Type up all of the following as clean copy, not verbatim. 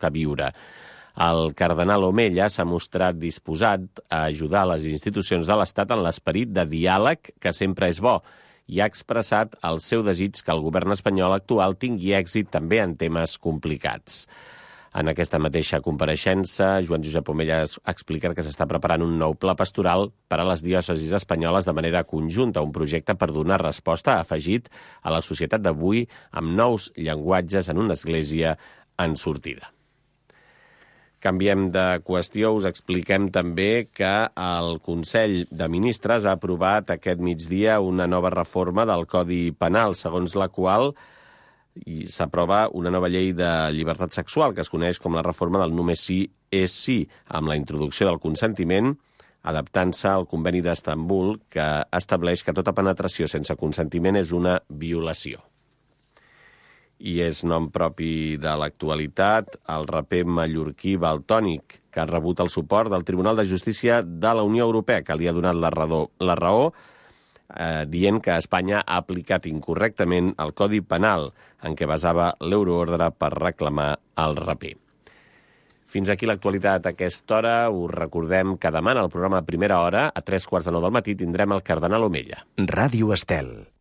a viure. El cardenal Omella s'ha mostrat disposat a ajudar les institucions de l'Estat en l'esperit de diàleg, que sempre és bo, i ha expressat el seu desig que el govern espanyol actual tingui èxit també en temes complicats. En aquesta mateixa compareixença, Joan Josep Omella ha explicat que s'està preparant un nou pla pastoral per a les diòcesis espanyoles de manera conjunta, un projecte per donar resposta, ha afegit, a la societat d'avui amb nous llenguatges en una església en sortida. Canviem de qüestió, us expliquem també que el Consell de Ministres ha aprovat aquest migdia una nova reforma del Codi Penal, segons la qual s'aprova una nova llei de llibertat sexual, que es coneix com la reforma del només sí és sí, amb la introducció del consentiment, adaptant-se al Conveni d'Estambul, que estableix que tota penetració sense consentiment és una violació. I és nom propi de l'actualitat el raper mallorquí Valtònyc, que ha rebut el suport del Tribunal de Justícia de la Unió Europea, que li ha donat la raó dient que Espanya ha aplicat incorrectament el Codi Penal en què basava l'euroordre per reclamar el raper. Fins aquí l'actualitat a aquesta hora. Us recordem que demà en el programa Primera Hora, a 3:15 del matí, tindrem el cardenal Omella. Ràdio Estel.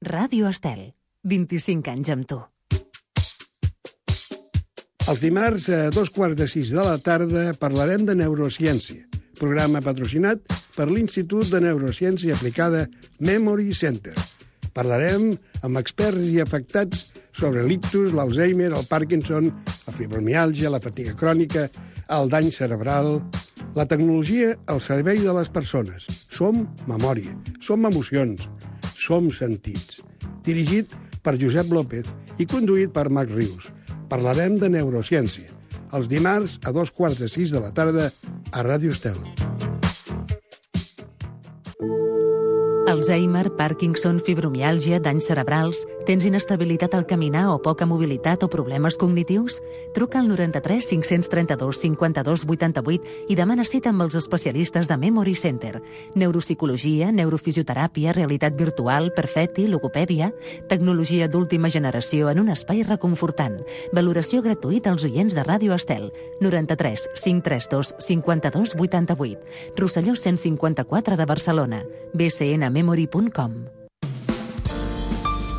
Ràdio Estel. 25 anys amb tu. Els dimarts a 5:15 de la tarda parlarem de neurociència, programa patrocinat per l'Institut de Neurociència Aplicada Memory Center. Parlarem amb experts i afectats sobre l'ictus, l'Alzheimer, el Parkinson, la fibromiàlgia, la fatiga crònica, el dany cerebral. La tecnologia al servei de les persones. Som memòria, som emocions, som sentits. Dirigit per Josep López i conduït per Marc Rius. Parlarem de neurociència. Els dimarts a 5:15 de la tarda a Ràdio Estel. Alzheimer, Parkinson, fibromiàlgia, danys cerebrals... Tens inestabilitat al caminar o poca mobilitat o problemes cognitius? Truca al 93 532 52 88 i demana cita amb els especialistes de Memory Center. Neuropsicologia, neurofisioteràpia, realitat virtual, perfecti, logopèdia... Tecnologia d'última generació en un espai reconfortant. Valoració gratuïta als oients de Ràdio Estel. 93 532 52 88. Rosselló 154 de Barcelona. bcnmemory.com.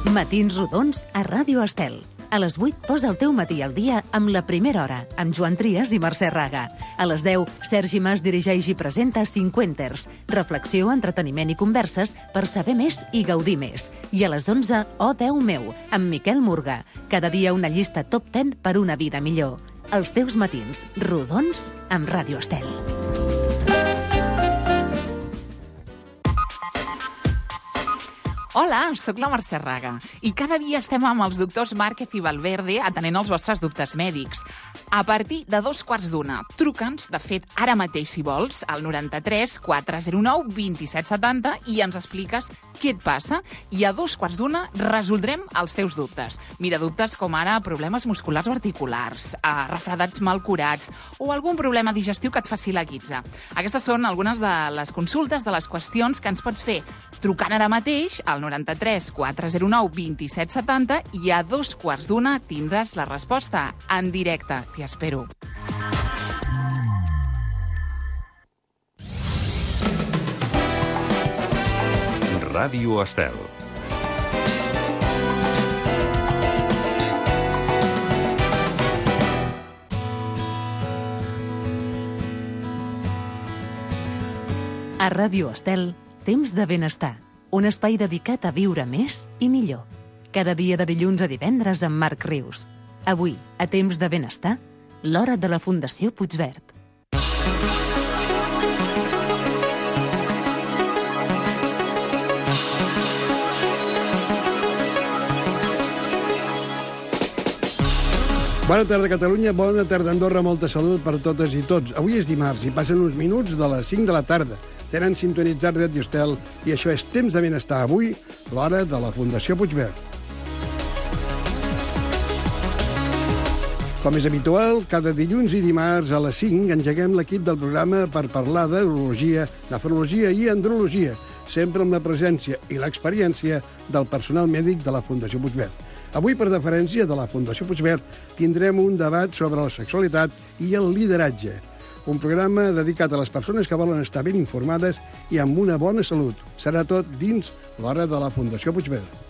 Matins rodons a Ràdio Estel. A les 8 posa el teu matí al dia amb La Primera Hora, amb Joan Trias i Mercè Raga. A les 10, Sergi Mas dirigeix i presenta Cinquenters, reflexió, entreteniment i converses per saber més i gaudir més. I a les 11, Oh Déu meu, amb Miquel Murga. Cada dia una llista top 10 per una vida millor. Els teus matins rodons amb Ràdio Estel. Hola, sóc la Mercè Raga i cada dia estem amb els doctors Márquez i Valverde atenent els vostres dubtes mèdics. A partir de 2:15, truca'ns, de fet, ara mateix, si vols, al 93 409 2770 i ens expliques què et passa i a 2:15 resoldrem els teus dubtes. Mira, dubtes com ara problemes musculars o articulars, refredats mal curats o algun problema digestiu que et faci la guitza. Aquestes són algunes de les consultes, de les qüestions que ens pots fer trucant ara mateix al 93 409 2770 i a 2:15 tindràs la resposta en directe. T'hi espero. Ràdio Estel. A Ràdio Estel, temps de benestar. Un espai dedicat a viure més i millor. Cada dia de dilluns a divendres amb Marc Rius. Avui, a temps de benestar, l'hora de la Fundació Puigverd. Bona tarda, Catalunya. Bona tarda, Andorra. Molta salut per totes i tots. Avui és dimarts i passen uns minuts de les 5 de la tarda. Tenen sintonitzat Ràdio Estel i això és Temps de Benestar. Avui, l'hora de la Fundació Puigverd. Com és habitual, cada dilluns i dimarts a les 5 engeguem l'equip del programa per parlar d'urologia, nefrologia i andrologia, sempre amb la presència i l'experiència del personal mèdic de la Fundació Puigverd. Avui, per deferència de la Fundació Puigverd, tindrem un debat sobre la sexualitat i el lideratge. Un programa dedicat a les persones que volen estar ben informades i amb una bona salut. Serà tot dins l'hora de la Fundació Puigverd.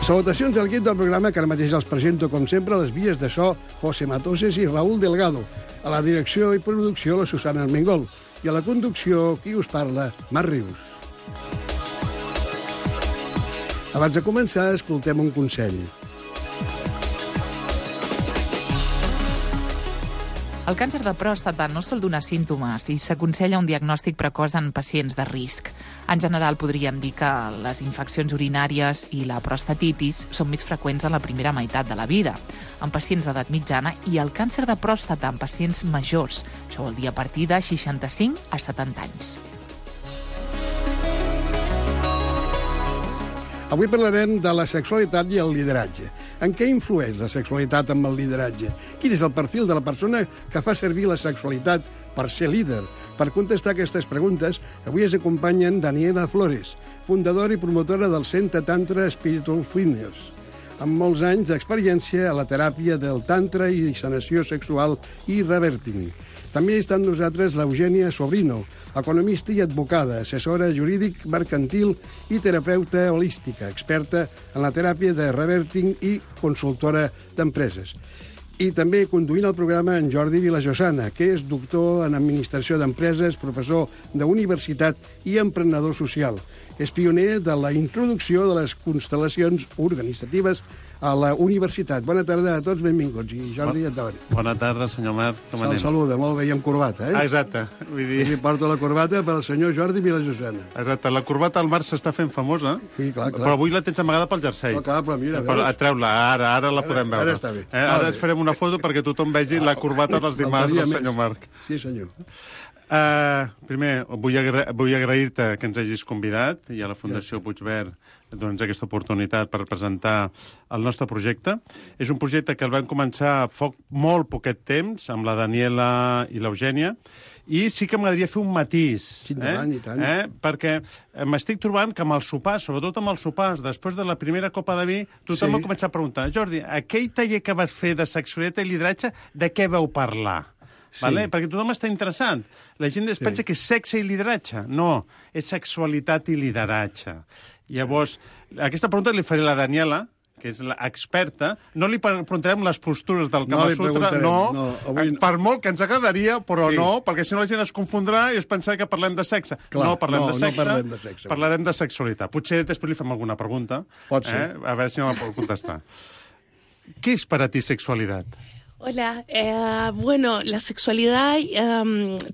Salutacions al equip del programa, que ara mateix els presento, com sempre, a les vies de so, José Matoses i Raúl Delgado. A la direcció i producció, la Susana Armengol. I a la conducció, qui us parla, Marc Rius. Abans de començar, escoltem un consell. El càncer de pròstata no sol donar símptomes i s'aconsella un diagnòstic precoç en pacients de risc. En general, podríem dir que les infeccions urinàries i la prostatitis són més freqüents en la primera meitat de la vida, en pacients d'edat mitjana, i el càncer de pròstata en pacients majors. Això vol dir a partir de 65 a 70 anys. Avui parlarem de la sexualitat i el lideratge. En què influeix la sexualitat amb el lideratge? Quin és el perfil de la persona que fa servir la sexualitat per ser líder? Per contestar aquestes preguntes, avui ens acompanyen Daniela Flores, fundadora i promotora del Centre Tantra Spiritual Fitness, amb molts anys d'experiència a la teràpia del tantra i sanació sexual i reverting. També està amb nosaltres l'Eugènia Sobrino, economista i advocada, assessora jurídic, mercantil i terapeuta holística, experta en la teràpia de reverting i consultora d'empreses. I també conduint el programa en Jordi Vilajosana, que és doctor en administració d'empreses, professor d'universitat i emprenedor social. És pioner de la introducció de les constel·lacions organitzatives a la universitat. Bona tarda a tots, benvinguts. I Jordi, endavant. Bona tarda, senyor Marc. Se'l saluda, molt bé, i amb corbata, eh? Exacte. Vull dir... I porto la corbata pel senyor Jordi Vilajosana. Exacte, la corbata al Marc s'està fent famosa, Sí, clar. però avui la tens amagada pel jersei. No, clar, però mira, Treu-la, ara la podem veure. Ara està bé. Ara ens farem una foto perquè tothom vegi la corbata dels dimarts del senyor Marc. Sí, senyor. Primer, vull agrair-te que ens hagis convidat i a la Fundació Puigverd doncs, aquesta oportunitat per presentar el nostre projecte. És un projecte que el vam començar fa molt poquet temps amb la Daniela i l'Eugènia, i sí que m'agradaria fer un matís. Sí, i tant. Perquè m'estic trobant que amb els sopars, sobretot amb els sopars, després de la primera copa de vi, tothom m'ha començat a preguntar: Jordi, aquell taller que vas fer de sexualitat i lideratge, de què vau parlar? Sí. Vale? Perquè tothom està interessant. La gent es pensa que és sexe i lideratge. No, és sexualitat i lideratge. Llavors, aquesta pregunta li faré a la Daniela, que és l'experta. No li preguntarem les postures del Kama Sutra, avui... per molt que ens agradaria, però sí. No, perquè si no la gent es confondrà i es pensarà que parlem de sexe. Clar, no parlem de sexe, parlem de sexe. Parlarem de sexualitat. Potser després li fem alguna pregunta. Pot ser. A veure si no la pot contestar. ¿Qué es para ti sexualidad? Hola, bueno, la sexualidad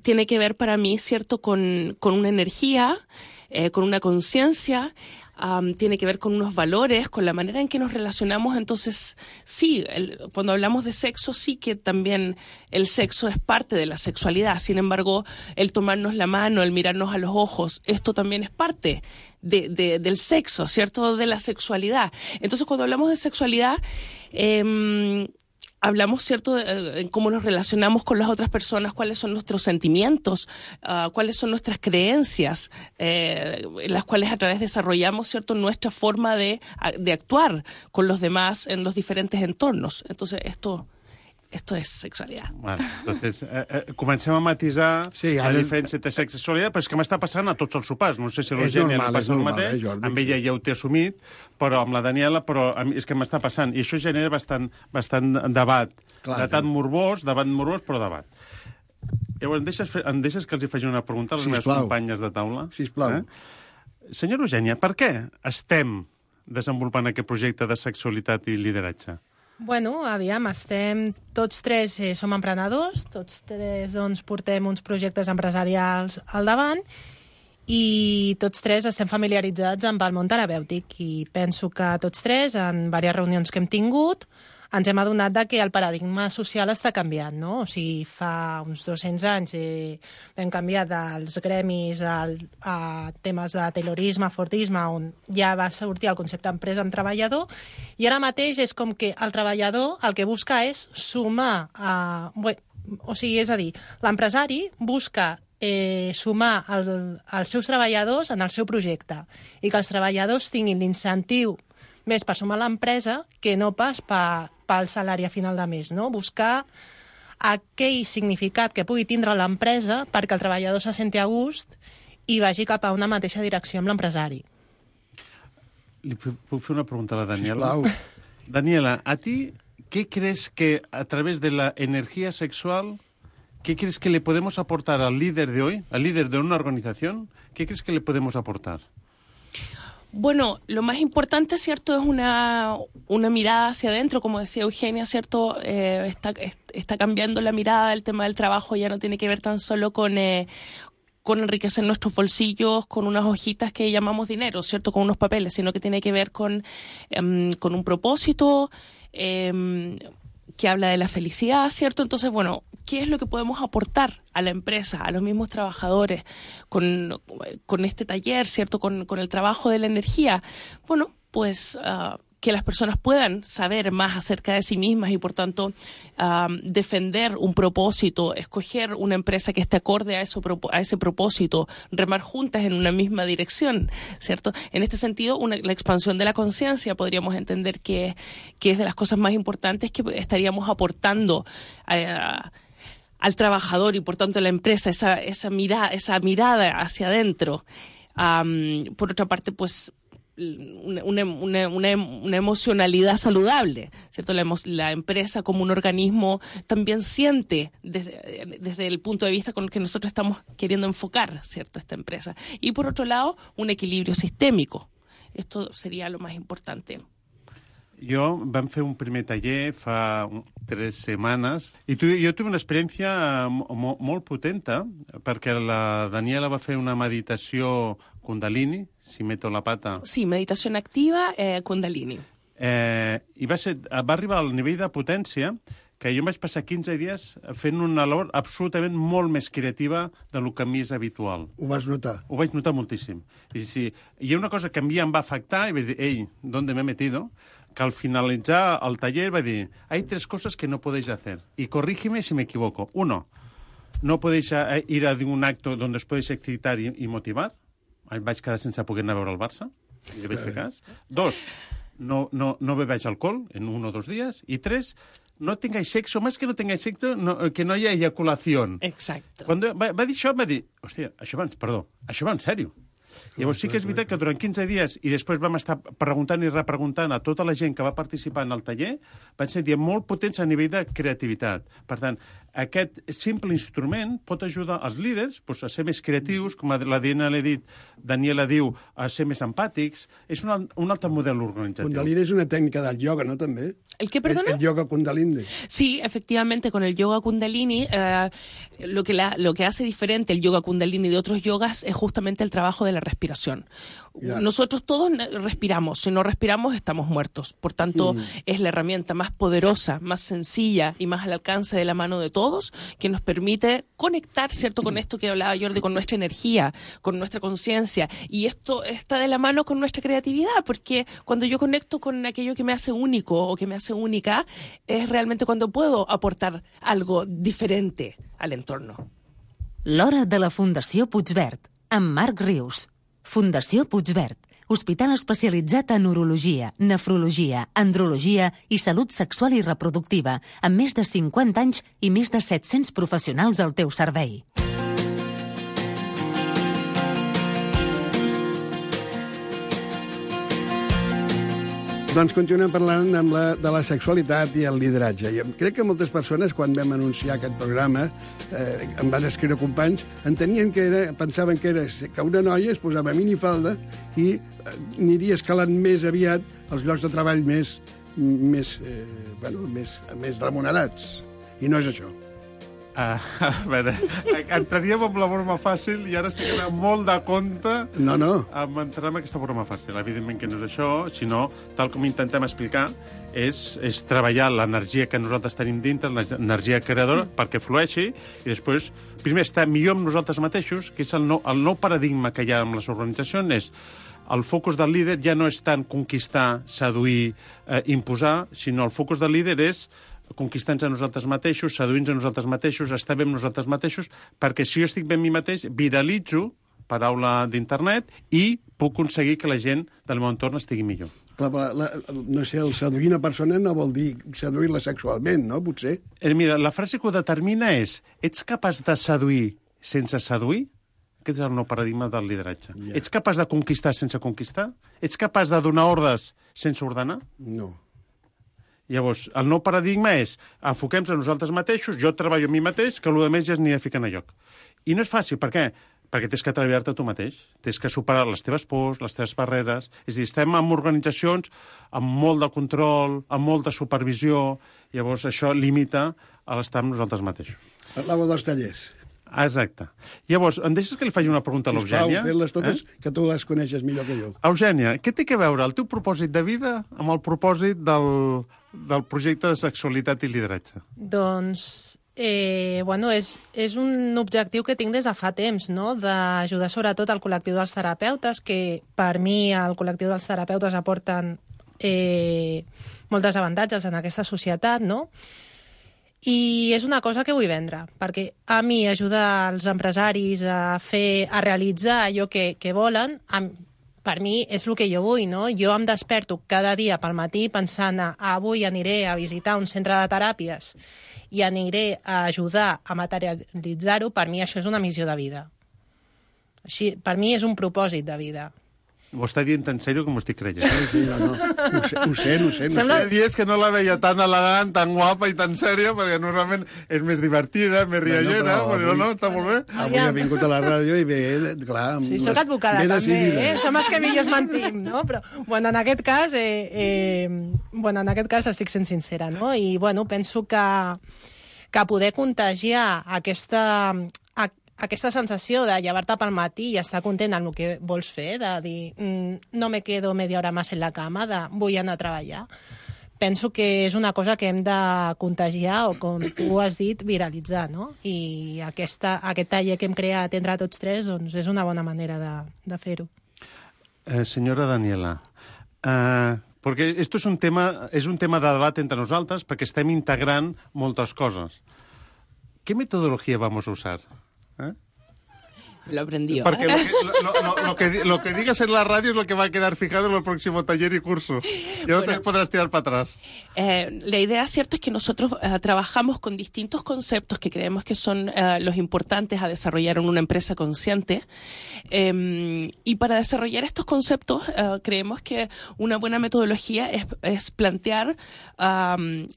tiene que ver para mí, ¿cierto?, con una energía, con una conciencia, tiene que ver con unos valores, con la manera en que nos relacionamos. Entonces, sí, cuando hablamos de sexo, sí que también el sexo es parte de la sexualidad. Sin embargo, el tomarnos la mano, el mirarnos a los ojos, esto también es parte del sexo, ¿cierto?, de la sexualidad. Entonces, cuando hablamos de sexualidad... hablamos, ¿cierto?, en cómo nos relacionamos con las otras personas, cuáles son nuestros sentimientos, cuáles son nuestras creencias, las cuales a través desarrollamos, ¿cierto?, nuestra forma de actuar con los demás en los diferentes entornos. Entonces, esto és sexualitat. Bueno, entonces, comencem a matisar la diferència entre sexe i sexualitat, però és que m'està passant a tots els sopars. No sé si a l'Eugènia li passa el mateix, amb ella ja ho té assumit, però amb la Daniela, però és que m'està passant. I això genera bastant debat. Debat morbós, però debat. Llavors, em deixes que els hi faci una pregunta a les meves companyes de taula? Sisplau. Senyora Eugènia, per què estem desenvolupant aquest projecte de sexualitat i lideratge? Bueno, aviam, tots tres som emprenedors, tots tres doncs, portem uns projectes empresarials al davant i tots tres estem familiaritzats amb el món terapèutic i penso que tots tres, en diverses reunions que hem tingut, ens hem adonat que el paradigma social està canviant, no? O sigui, fa uns 200 anys vam canviar dels gremis a temes de taylorisme, fordisme, on ja va sortir el concepte empresa amb treballador, i ara mateix és com que el treballador el que busca és sumar, o sigui, és a dir, l'empresari busca sumar els seus treballadors en el seu projecte i que els treballadors tinguin l'incentiu més per sumar l'empresa que no pas pel salari a final de mes, no? Buscar aquell significat que pugui tindre l'empresa perquè el treballador se senti a gust i vagi cap a una mateixa direcció amb l'empresari. Li puc fer una pregunta a la Daniela? Sisplau. Daniela, a ti, ¿qué crees que a través de la energía sexual, qué crees que le podemos aportar al líder de hoy, al líder de una organización? ¿Qué crees que le podemos aportar? Bueno, lo más importante, ¿cierto?, es una mirada hacia adentro, como decía Eugenia, ¿cierto? Está cambiando la mirada, el tema del trabajo ya no tiene que ver tan solo con enriquecer nuestros bolsillos con unas hojitas que llamamos dinero, ¿cierto?, con unos papeles, sino que tiene que ver con un propósito que habla de la felicidad, ¿cierto? Entonces, bueno, ¿qué es lo que podemos aportar a la empresa, a los mismos trabajadores con este taller, ¿cierto?, con el trabajo de la energía? Bueno, pues que las personas puedan saber más acerca de sí mismas y, por tanto, defender un propósito, escoger una empresa que esté acorde a ese propósito, remar juntas en una misma dirección, ¿cierto? En este sentido, la expansión de la conciencia podríamos entender que es de las cosas más importantes que estaríamos aportando al trabajador y, por tanto, a la empresa, esa mirada hacia adentro. Por otra parte, pues, una emocionalidad saludable, ¿cierto? La empresa como un organismo también siente desde el punto de vista con el que nosotros estamos queriendo enfocar, ¿cierto?, esta empresa. Y por otro lado, un equilibrio sistémico. Esto sería lo más importante. Vam fer un primer taller fa 3 setmanes i jo tuve una experiència molt potenta perquè la Daniela va fer una meditació Kundalini, si meto la pata. Sí, meditació activa Kundalini. I va arribar al nivell de potència que jo em vaig passar 15 dies fent una labor absolutament molt més creativa del que a mi és habitual. Ho vas notar? Ho vaig notar moltíssim. I sí, hi ha una cosa que a mi em va afectar i vaig dir, ei, ¿dónde me he metido? Que al finalitzar el taller va dir, hay 3 cosas que no podéis hacer, y corrígeme si me equivoco. 1, no podéis ir a un acto donde os podéis excitar y motivar. Vaig quedar sense poder anar a veure el Barça, i li vaig fer cas. 2, no bebáis alcohol en 1 o 2 días. Y 3, no tengáis sexo, más que no tengáis sexo, que no haya eyaculación. Exacto. Quan va dir això, va dir, hòstia, això va en sèrio. Llavors sí que és veritat que durant 15 dies i després vam estar preguntant i repreguntant a tota la gent que va participar en el taller, van ser dies molt potents a nivell de creativitat. Per tant, aquest simple instrument pot ajudar els líders a ser més creatius, com la Daniela diu, a ser més empàtics. És un altre model organitzatiu. Kundalini es una técnica del yoga, ¿no? También. ¿El qué, perdona? El yoga Kundalini. Sí, efectivamente, con el yoga Kundalini, lo que hace diferente el yoga Kundalini de otros yogas es justamente el trabajo de la respiración. Ya. Nosotros todos respiramos, si no respiramos estamos muertos. Por tanto, es la herramienta más poderosa, más sencilla y más al alcance de la mano de todos, que nos permite conectar, ¿cierto?, con esto que hablaba Jordi, con nuestra energía, con nuestra conciencia. Y esto está de la mano con nuestra creatividad, porque cuando yo conecto con aquello que me hace único o que me hace única, es realmente cuando puedo aportar algo diferente al entorno. L'hora de la Fundació Puigverd, amb Marc Rius. Fundació Puigverd, hospital especialitzat en urologia, nefrologia, andrologia i salut sexual i reproductiva, amb més de 50 anys i més de 700 professionals al teu servei. Doncs continuem parlant de la sexualitat i el lideratge. Jo crec que moltes persones, quan vam anunciar aquest programa, em van escriure companys, pensaven que una noia es posava minifalda i aniria escalant més aviat els llocs de treball més remunerats. I no és això. A veure, entraríem amb la broma fàcil i ara estic anant molt de compte amb entrar en aquesta broma fàcil. Evidentment que no és això, sinó, tal com intentem explicar, és treballar l'energia que nosaltres tenim dintre, l'energia creadora, perquè flueixi, i després, primer, estar millor amb nosaltres mateixos, que és el nou paradigma que hi ha amb les organitzacions, el focus del líder ja no és tant conquistar, seduir, imposar, sinó el focus del líder és conquistar-nos a nosaltres mateixos, seduir-nos a nosaltres mateixos, estar bé amb nosaltres mateixos, perquè si jo estic bé amb mi mateix, viralitzo, paraula d'internet, i puc aconseguir que la gent del meu entorn estigui millor. No sé, el seduir una persona no vol dir seduir-la sexualment, no? Potser. Mira, la frase que ho determina és: ets capaç de seduir sense seduir? Aquest és el nou paradigma del lideratge. Yeah. Ets capaç de conquistar sense conquistar? Ets capaç de donar ordres sense ordenar? No. Llavors, el nou paradigma és: enfoquem-nos a nosaltres mateixos, jo treballo a mi mateix, que el que més ja es n'hi ha ficat a lloc. I no és fàcil, per què? Perquè tens que treballar-te tu mateix, tens que superar les teves pors, les teves barreres. És a dir, estem en organitzacions amb molt de control, amb molta supervisió, llavors això limita a l'estar amb nosaltres mateixos. Parlava dels tallers. Exacte. Llavors, em deixes que li faci una pregunta a l'Eugènia? Sisplau, fes-les totes, que tu les coneixes millor que jo. Eugènia, què té que veure el teu propòsit de vida amb el propòsit del projecte de sexualitat i lideratge? Doncs, és un objectiu que tinc des de fa temps, no? D'ajudar sobretot al col·lectiu dels terapeutes, que per mi el col·lectiu dels terapeutes aporten molts avantatges en aquesta societat, no? I és una cosa que vull vendre, perquè a mi ajudar els empresaris a realitzar allò que volen, per mi és el que jo vull, no? Jo em desperto cada dia pel matí pensant avui aniré a visitar un centre de teràpies i aniré a ajudar a materialitzar-ho. Per mi això és una missió de vida. Així, per mi és un propòsit de vida. Ho està dient tan sèrio com ho estic creient. Sí, no. Ho sé. Sembla dies que no la veia tan elegant, tan guapa i tan sèria, perquè normalment és més divertida, més riallera, però no, està molt bé. Avui ha vingut a la ràdio i ve, clar... Sí, soc advocada també, som els que millor mantim, no? Però, en aquest cas estic sent sincera, no? I, penso que poder contagiar aquesta sensació de llevar-te pel matí i estar content amb el que vols fer, de dir no me quedo media hora més en la cama, de vull anar a treballar. Penso que és una cosa que hem de contagiar o, com tu has dit, viralitzar, no? I aquest taller que hem creat entre tots tres doncs, és una bona manera de fer-ho. Senyora Daniela, perquè esto es un tema de debat entre nosaltres perquè estem integrant moltes coses. ¿Qué metodología vamos a usar? Lo aprendió. Porque lo que digas en la radio es lo que va a quedar fijado en el próximo taller y curso. Ya no te podrás tirar para atrás. La idea, cierto, es que nosotros trabajamos con distintos conceptos que creemos que son los importantes a desarrollar en una empresa consciente. Y para desarrollar estos conceptos, creemos que una buena metodología es plantear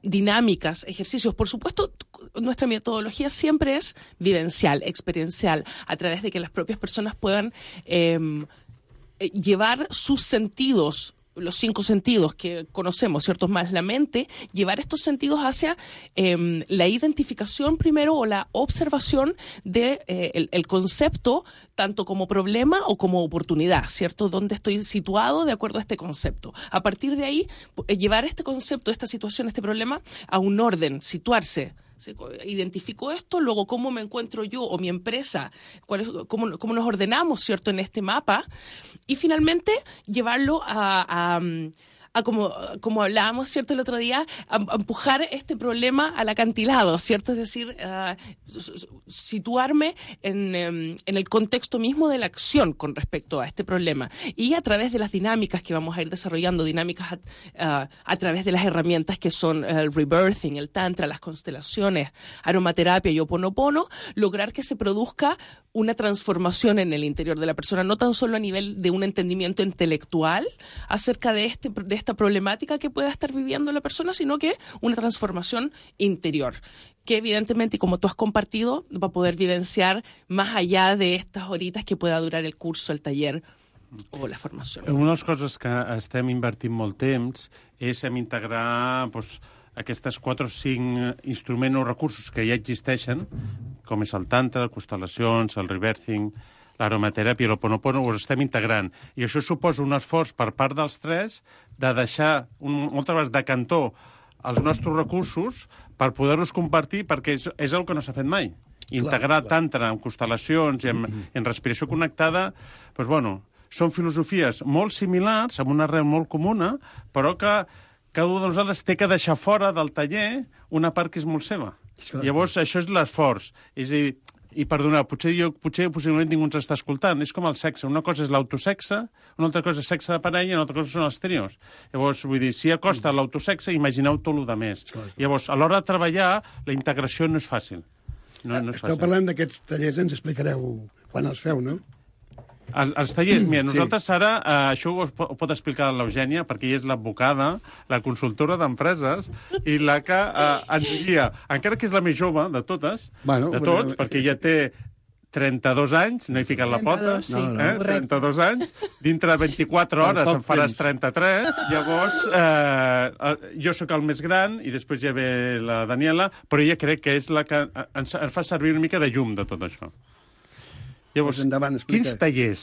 dinámicas, ejercicios. Por supuesto, nuestra metodología siempre es vivencial, experiencial, a través de que las propias personas puedan llevar sus sentidos, los 5 sentidos que conocemos, ¿cierto? Más la mente, llevar estos sentidos hacia la identificación primero o la observación de el concepto, tanto como problema o como oportunidad, ¿cierto? ¿Dónde estoy situado de acuerdo a este concepto? A partir de ahí, llevar este concepto, esta situación, este problema a un orden, situarse. Identifico esto, luego cómo me encuentro yo o mi empresa, cómo nos ordenamos, ¿cierto?, en este mapa, y finalmente llevarlo a como hablábamos, ¿cierto?, el otro día, a empujar este problema al acantilado, ¿cierto? Es decir, situarme en el contexto mismo de la acción con respecto a este problema. Y a través de las dinámicas que vamos a ir desarrollando, dinámicas a través de las herramientas que son el rebirthing, el tantra, las constelaciones, aromaterapia y Ho'oponopono, lograr que se produzca una transformación en el interior de la persona, no tan solo a nivel de un entendimiento intelectual acerca de esta problemática que pueda estar viviendo la persona, sino que una transformación interior, que evidentemente, como tú has compartido, va a poder vivenciar más allá de estas horitas que pueda durar el curso, el taller o la formació. Una de les coses que estem invertint molt temps és en integrar aquestes 4 o 5 instruments o recursos que ja existeixen, com és el tantra, constel·lacions, el rebirthing, l'aromateràpia i l'Ho'oponopono, ho estem integrant. I això suposa un esforç per part dels 3 de deixar moltes vegades de cantó els nostres recursos per poder-los compartir, perquè és el que no s'ha fet mai. Integrar tantra en constel·lacions i en respiració connectada, doncs, són filosofies molt similars, amb una arrel molt comuna, però que cada un de nosaltres té que deixar fora del taller una part que és molt seva. Llavors, això és l'esforç. És a dir, i perdona, potser possiblement ningú ens està escoltant. És com el sexe. Una cosa és l'autosexe, una altra cosa és sexe de parella i una altra cosa són els trios. Llavors, vull dir, si acosta l'autosexe, imagineu tot el de més. Llavors, a l'hora de treballar, la integració no és fàcil. No és fàcil. Esteu parlant d'aquests tallers, ens explicareu quan els feu, no? Els tallers, mira, nosaltres ara, això ho pot explicar l'Eugènia, perquè ella és l'advocada, la consultora d'empreses, i la que ens guia, encara que és la més jove de totes, de tots, perquè ella té 32 anys, no he ficat la pota, 32 anys, dintre de 24 hores en faràs 33, llavors jo sóc el més gran i després ja ve la Daniela, però ella crec que és la que ens fa servir una mica de llum de tot això. Llavors, quins tallers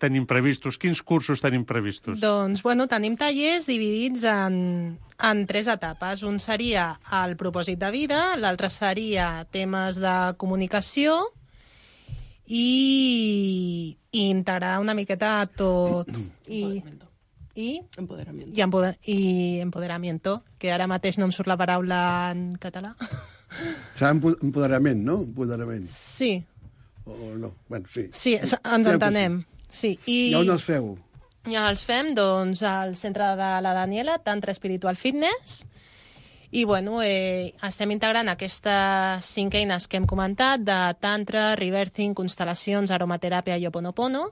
tenim previstos? Quins cursos tenim previstos? Doncs, bueno, tenim tallers dividits en 3 etapes. Un seria el propòsit de vida, l'altre seria temes de comunicació i integrar una miqueta tot. I empoderamiento, que ara mateix no em surt la paraula en català. Serà empoderament, no? Empoderament. Sí. O no? Bueno, sí. Sí, ens entenem. Sí. I on els feu? Ja els fem, doncs, al centre de la Daniela, Tantra Spiritual Fitness, i, bueno, estem integrant aquestes 5 eines que hem comentat, de Tantra, Rebirthing, constel·lacions, aromateràpia i Ho'oponopono,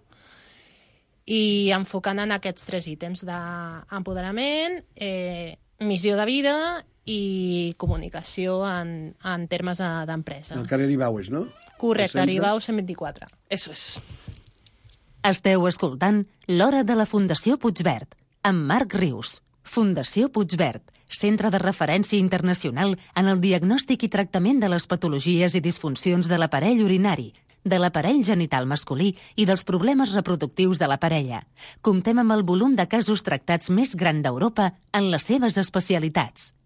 i enfocant en aquests 3 ítems d'empoderament, missió de vida i comunicació en termes d'empresa. Al carrer Ibaues, no? Correcte, Aribau 124. Eso és. Esteu escoltant L'Hora de la Fundació Puigverd, amb Marc Rius. Fundació Puigverd, centre de referència internacional en el diagnòstic i tractament de les patologies i disfuncions de l'aparell urinari, de l'aparell genital masculí i dels problemes reproductius de la parella. Comptem amb el volum de casos tractats més gran d'Europa en les seves especialitats.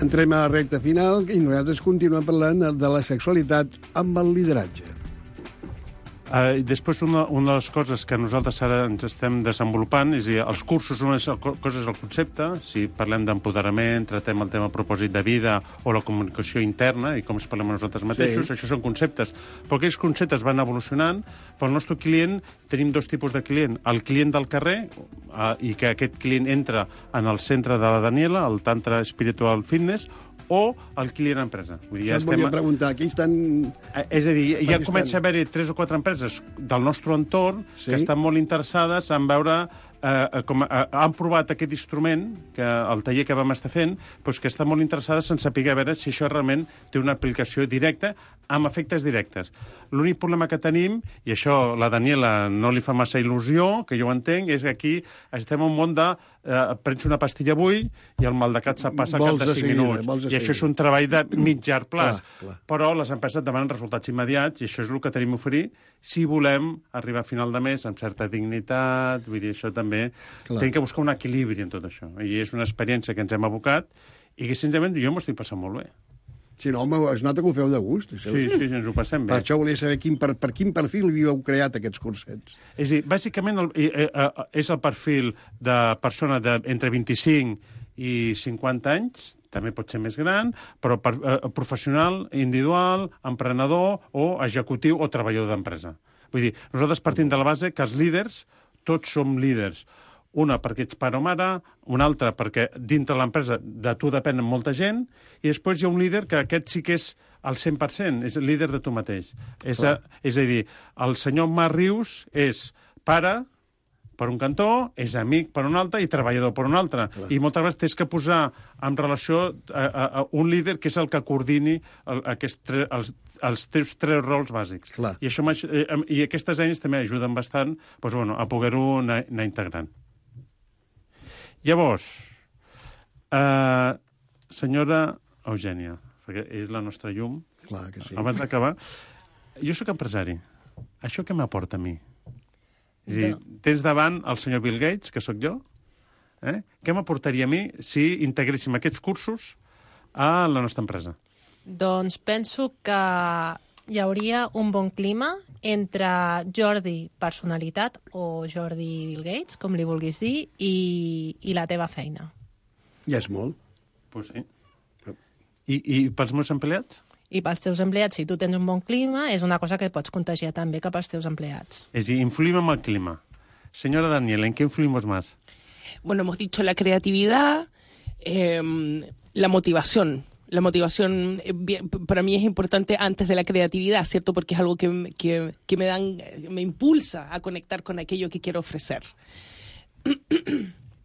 Entrem a la recta final i nosaltres continuem parlant de la sexualitat amb el lideratge. Després, una de les coses que nosaltres ara ens estem desenvolupant és els cursos, una cosa és el concepte, si parlem d'empoderament, tratem el tema propòsit de vida o la comunicació interna i com es parlem a nosaltres mateixos, això són conceptes. Però aquells conceptes van evolucionant. Pel nostre client tenim 2 tipus de client. El client del carrer, i que aquest client entra en el centre de la Daniela, el Tantra Spiritual Fitness, o el client empresa. Vull dir, ja volia preguntar, aquí estan... És a dir, ja comença a haver-hi 3 o 4 empreses del nostre entorn que estan molt interessades en veure han provat aquest instrument, que el taller que vam estar fent, doncs que estan molt interessades en saber a veure si això realment té una aplicació directa amb efectes directes. L'únic problema que tenim, i això la Daniela no li fa massa il·lusió, que jo ho entenc, és que aquí estem en un món de prens una pastilla avui i el mal de cap se't passa al cap de 5 minuts. I això és un treball de mig llarg plaç. Però les empreses demanen resultats immediats i això és el que tenim a oferir si volem arribar a final de mes amb certa dignitat. Vull dir, això també... Tenim que buscar un equilibri en tot això. I és una experiència que ens hem abocat i que, sincerament, jo m'ho estic passant molt bé. Sí, no, home, es nota que ho feu de gust. Sí, ens ho passem bé. Per això volia saber per quin perfil havíeu creat aquests cursets. És a dir, bàsicament és el perfil de persona entre 25 i 50 anys, també pot ser més gran, però professional, individual, emprenedor o executiu o treballador d'empresa. Vull dir, nosaltres partim de la base que els líders, tots som líders. Una perquè ets pare o mare, una altra perquè dintre l'empresa de tu depèn molta gent, i després hi ha un líder que aquest sí que és al 100%, és el líder de tu mateix. És a dir, el senyor Marc Rius és pare per un cantó, és amic per un altre i treballador per un altre. I moltes vegades tens que posar en relació a un líder que és el que coordini els teus 3 rols bàsics. I aquestes eines també ajuden bastant a poder-ho anar integrant. Llavors, senyora Eugènia, perquè és la nostra llum, abans d'acabar, jo sóc empresari. Això què m'aporta a mi? És a dir, tens davant el senyor Bill Gates, que sóc jo. Què m'aportaria a mi si integréssim aquests cursos a la nostra empresa? Doncs penso que hi hauria un bon clima entre Jordi personalitat o Jordi Bill Gates, com li vulguis dir, i la teva feina. Ja és molt. Pues sí. I pels meus empleats? I pels teus empleats, si tu tens un bon clima, és una cosa que pots contagiar també cap als teus empleats. És a dir, influim en el clima. Señora Daniela, ¿en qué influimos más? Bueno, hemos dicho la creatividad, la motivación. La motivación para mí es importante antes de la creatividad, ¿cierto? Porque es algo que me impulsa a conectar con aquello que quiero ofrecer.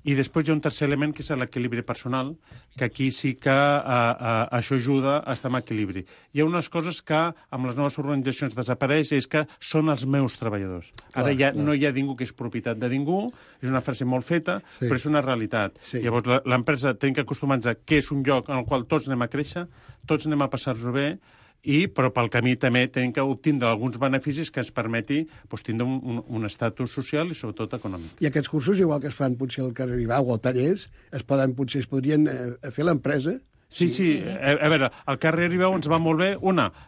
I després hi ha un tercer element, que és l'equilibri personal, que aquí sí que això ajuda a estar en equilibri. Hi ha unes coses que amb les noves organitzacions desapareix, és que són els meus treballadors. Ara ja no hi ha ningú que és propietat de ningú, és una frase molt feta, però és una realitat. Sí. Llavors l'empresa té que acostumar-nos a que és un lloc en el qual tots anem a créixer, tots anem a passar-nos bé, però pel camí també tenim que obtindre alguns beneficis que ens permeti tindre un estatus social i sobretot econòmic. I aquests cursos, igual que es fan potser al carrer Ribau o tallers, potser es podrien fer a l'empresa? Sí. A veure, el carrer Ribau ens va molt bé,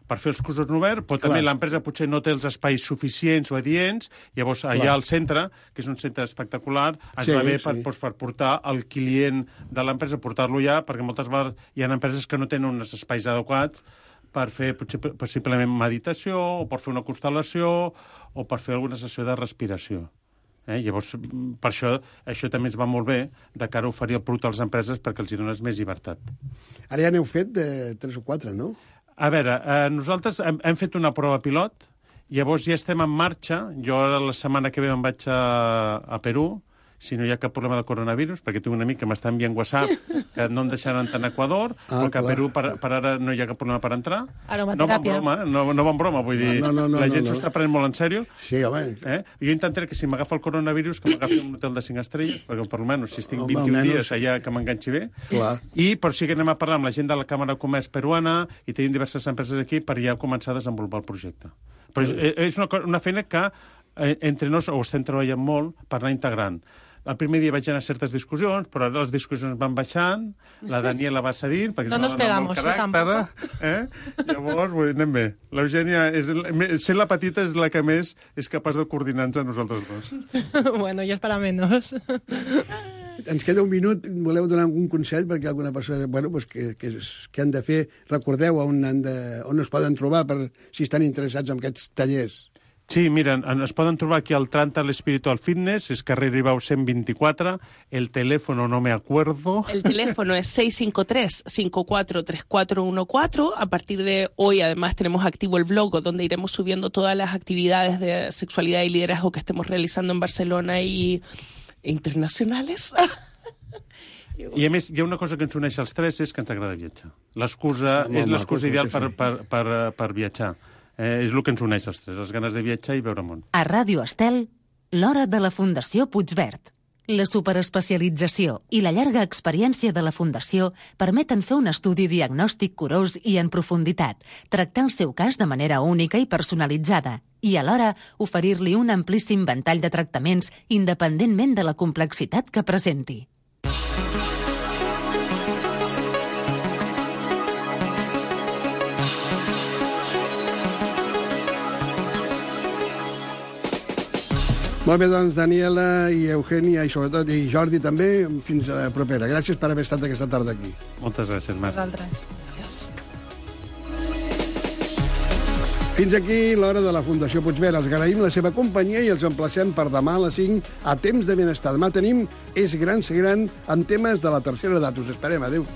per fer els cursos oberts, però també l'empresa potser no té els espais suficients o adients, llavors allà al centre, que és un centre espectacular, ens va bé per portar el client de l'empresa, portar-lo allà, perquè moltes vegades hi ha empreses que no tenen uns espais adequats per fer possiblement meditació, o per fer una constel·lació, o per fer alguna sessió de respiració. Llavors, per això també ens va molt bé de cara a oferir el producte a les empreses perquè els dones més llibertat. Ara ja n'heu fet 3 o 4, no? A veure, nosaltres hem fet una prova pilot, llavors ja estem en marxa. Jo ara la setmana que ve me'n vaig a Perú, si no hi ha cap problema de coronavirus, perquè tinc un amic que m'està enviant WhatsApp que no em deixaran entrar a Equador, però que a Perú per ara no hi ha cap problema per entrar. Aromateràpia. No va en broma, vull dir, la gent s'ho està prenent molt en sèrio. Sí, home. Jo intentaré que si m'agafa el coronavirus, que m'agafi un hotel de 5 estrelles, perquè per almenys si estic 21 dies allà que m'enganxi bé. Però sí que anem a parlar amb la gent de la Càmera de Comerç peruana i tenim diverses empreses aquí per ja començar a desenvolupar el projecte. Però és una feina que entre nos ho estem treballant molt per anar integrant. El primer dia vaig anar a certes discussions, però ara les discussions van baixant, la Daniela va cedir, perquè no nos pegamos, tampoc. Llavors, anem bé. L'Eugènia, sent la petita, és la que més és capaç de coordinar-nos a nosaltres dos. Bueno, ja és para menos. Ens queda un minut. Voleu donar algun consell perquè alguna persona... què han de fer? Recordeu on es poden trobar si estan interessats en aquests tallers. Sí, mira, es poden trobar aquí al Trantal Spiritual Fitness, es carrer Ribau 124, el teléfono no me acuerdo. El teléfono es 653-543414. A partir de hoy, además, tenemos activo el blog, donde iremos subiendo todas las actividades de sexualidad y liderazgo que estemos realizando en Barcelona e internacionales. I a més, hi ha una cosa que ens uneix als tres, és que ens agrada viatjar. L'excusa és l'excusa ideal per viatjar. És el que ens uneix els tres, les ganes de viatjar i veure món. A Ràdio Estel, l'hora de la Fundació Puigverd. La superespecialització i la llarga experiència de la Fundació permeten fer un estudi diagnòstic curós i en profunditat, tractar el seu cas de manera única i personalitzada i alhora oferir-li un amplíssim ventall de tractaments independentment de la complexitat que presenti. Molt bé, doncs, Daniela i Eugènia i sobretot i Jordi també, fins a la propera. Gràcies per haver estat aquesta tarda aquí. Moltes gràcies, Marc. Vosaltres. Gràcies. Fins aquí l'hora de la Fundació Puigverd. Els agraïm la seva companyia i els emplacem per demà a les 5 a Temps de Benestar. Demà tenim És Gran Ser Gran amb temes de la tercera edat. Us esperem. Adéu.